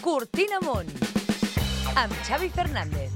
Cortina Amunt, amb Xavi Fernández.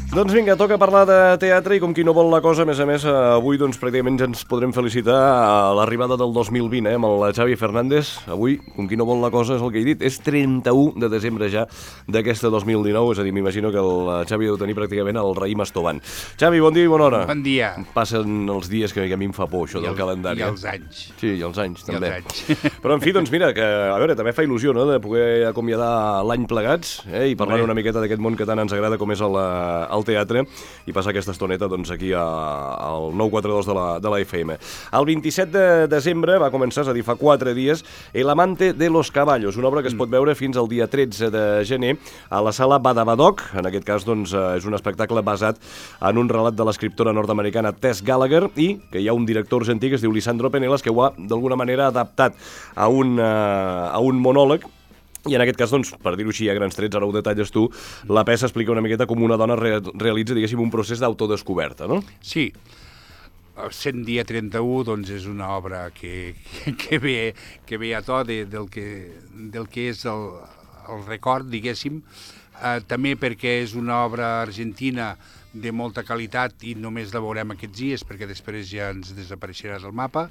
Doncs vinga, toca parlar de teatre i com qui no vol la cosa, a més, avui doncs pràcticament ja ens podrem felicitar a l'arribada del 2020, amb el Xavi Fernández. Avui, com qui no vol la cosa, és el que he dit, és 31 de desembre ja d'aquesta 2019, és a dir, m'imagino que el Xavi deu tenir pràcticament el raïm estovant. Xavi, bon dia i bona hora. Bon dia. Passen els dies que a mi em fa por, això del calendari. I els anys. Sí, i els anys, també. I els anys. Però, en fi, doncs mira, que, a veure, també fa il·lusió, no?, de poder acomiadar l'any plegats, i parlar una miqueta d'aquest món que tant ens agrada com és el teatre, i passar aquesta estoneta doncs, aquí al 942 de la FM. El 27 de desembre va començar, és a dir, fa 4 dies, El amante de los caballos, una obra que es pot veure fins al dia 13 de gener a la sala Badabadoc. En aquest cas, doncs, és un espectacle basat en un relat de l'escriptora nord-americana Tess Gallagher i que hi ha un director argentí que es diu Lisandro Penelas que ho ha, d'alguna manera, adaptat a un monòleg. I en aquest cas, doncs, per dir-ho així a grans trets, ara ho detalles tu, la peça explica una miqueta com una dona realitza, diguéssim, un procés d'autodescoberta, no? Sí. 100 dia 31, doncs, és una obra que ve a to del que és el record, diguéssim, també perquè és una obra argentina de molta qualitat i només la veurem aquests dies perquè després ja ens desapareixerà del mapa.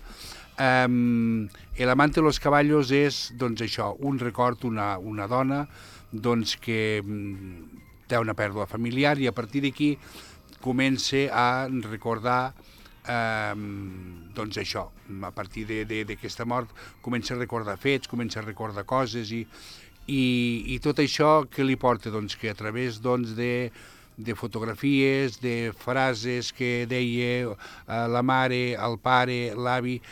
El amante de los caballos és, doncs, això, un record, una dona doncs, que té una pèrdua familiar i a partir d'aquí comença a recordar doncs això, a partir d'aquesta mort comença a recordar fets, comença a recordar coses i tot això que li porta, doncs, que a través, doncs, de fotografies, de frases que deia la mare, el pare, l'avi,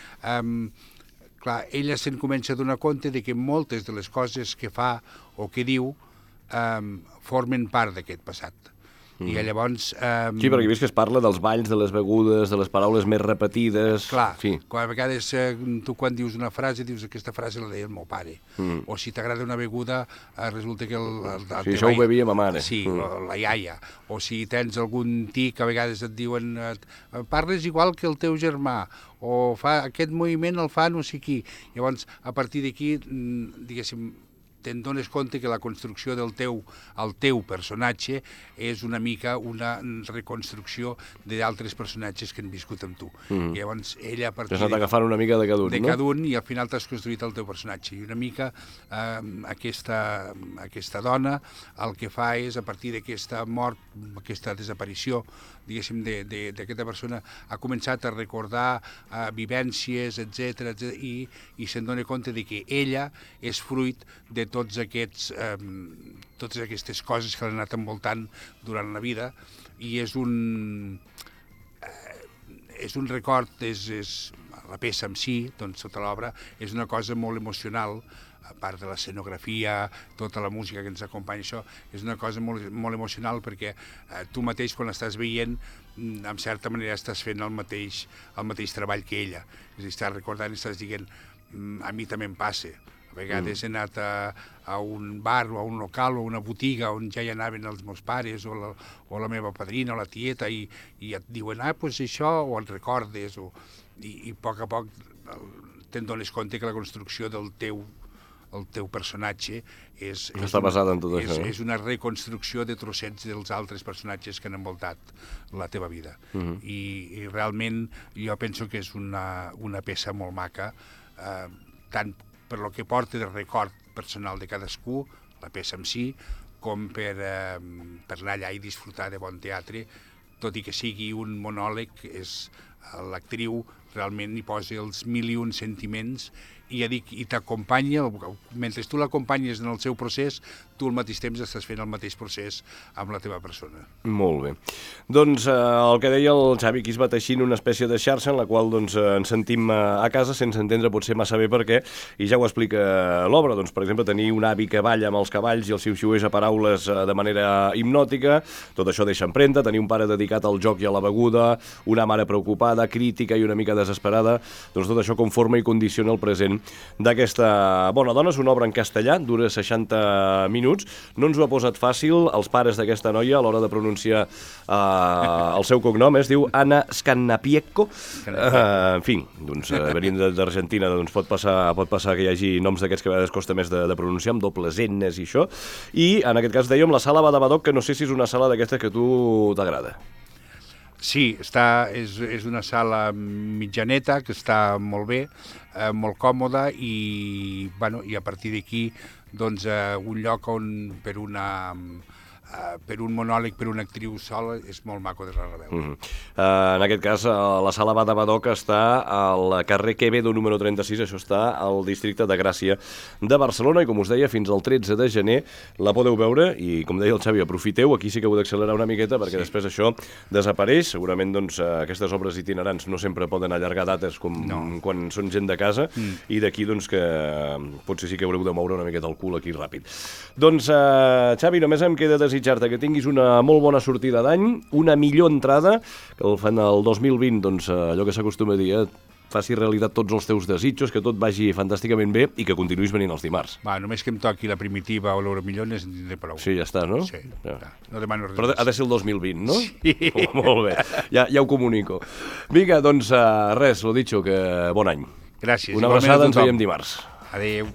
clar, ella se'n comença a donar compte de que moltes de les coses que fa o que diu formen part d'aquest passat. I llavors... Sí, perquè he vist que es parla dels balls, de les begudes, de les paraules més repetides... Clar, sí. A vegades tu quan dius una frase, dius aquesta frase la deia el meu pare. O si t'agrada una beguda, resulta que sí, això ho bevia ma mare. Sí, la iaia. O si tens algun tic, a vegades et diuen parles igual que el teu germà, o fa aquest moviment el fa no sé qui. Llavors, a partir d'aquí, diguéssim, te'n dones compte que la construcció del teu personatge és una mica una reconstrucció d'altres personatges que han viscut amb tu. I llavors ella a partir... T'has anat agafant una mica de cada un, no? De cada un, i al final t'has construït el teu personatge. I una mica aquesta dona el que fa és, a partir d'aquesta mort, aquesta desaparició, diguéssim, d'aquesta persona, ha començat a recordar vivències, etc i se'n dona compte de que ella és fruit de totes aquestes coses que l'han anat envoltant durant la vida i és un record, la peça en si, doncs, tota l'obra, és una cosa molt emocional, a part de l'escenografia, tota la música que ens acompanya, això, és una cosa molt, molt emocional perquè tu mateix quan l'estàs veient, en certa manera estàs fent el mateix treball que ella. És a dir, estàs recordant i estàs dient, a mi també em passa. A vegades he anat a un bar o a un local o a una botiga on ja hi anaven els meus pares o la meva padrina o la tieta i et diuen, doncs això, o et recordes, i a poc te'n dones compte que la construcció del teu personatge està basada en tot això, no? És una reconstrucció de trossets dels altres personatges que han envoltat la teva vida. I realment jo penso que és una peça molt maca, tant per lo que porta de record personal de cadascú, la peça en si, com per anar allà i disfrutar de bon teatre, tot i que sigui un monòleg, l'actriu realment hi posa els 1001 sentiments i t'acompanya, mentre tu l'acompanyes en el seu procés, tu al mateix temps estàs fent el mateix procés amb la teva persona. Molt bé. Doncs el que deia el Xavi, aquí es va teixint una espècie de xarxa en la qual doncs, ens sentim a casa sense entendre potser massa bé per què, i ja ho explica l'obra. Doncs, per exemple, tenir un avi que balla amb els cavalls i els xiu-xiuers a paraules de manera hipnòtica, tot això deixa empremta, tenir un pare dedicat al joc i a la beguda, una mare preocupada, crítica i una mica desesperada, doncs tot això conforma i condiciona el present d'aquesta bona dona. És una obra en castellà, dura 60 minuts, no ens ho ha posat fàcil els pares d'aquesta noia a l'hora de pronunciar el seu cognom, es diu Anna Scannapiecco. En fi, doncs, venint d'Argentina, doncs pot passar que hi hagi noms d'aquests que a vegades costa més de pronunciar, amb dobles N's i això, i en aquest cas dèiem la sala Badabadoc, que no sé si és una sala d'aquestes que a tu t'agrada. Sí, és una sala mitjaneta que està molt bé, molt còmoda i a partir d'aquí doncs, un lloc on per un monòleg, per una actriu sola, és molt maco de reveure. En aquest cas, la sala Badabadoc està al carrer Quevedo número 36, això està al districte de Gràcia de Barcelona, i com us deia, fins al 13 de gener la podeu veure, i com deia el Xavi, aprofiteu, aquí sí que heu d'accelerar una miqueta, perquè després això desapareix. Segurament doncs, aquestes obres itinerants no sempre poden allargar dates com quan són gent de casa, i d'aquí doncs, que potser sí que haureu de moure una miqueta el cul aquí ràpid. Doncs, Xavi, només em queda desitjar-te que tinguis una molt bona sortida d'any, una millor entrada, que el 2020, doncs, allò que s'acostuma a dir, faci realitat tots els teus desitjos, que tot vagi fantàsticament bé i que continuïs venint els dimarts. Només que em toqui la primitiva o l'Euromillones en tindré prou. Sí, ja està, no? Sí, no demano res. Però ha de ser el 2020, no? Sí. Molt bé, ja ho comunico. Vinga, doncs res, lo dicho, que bon any. Gràcies. Una abraçada, ens veiem dimarts. Adéu.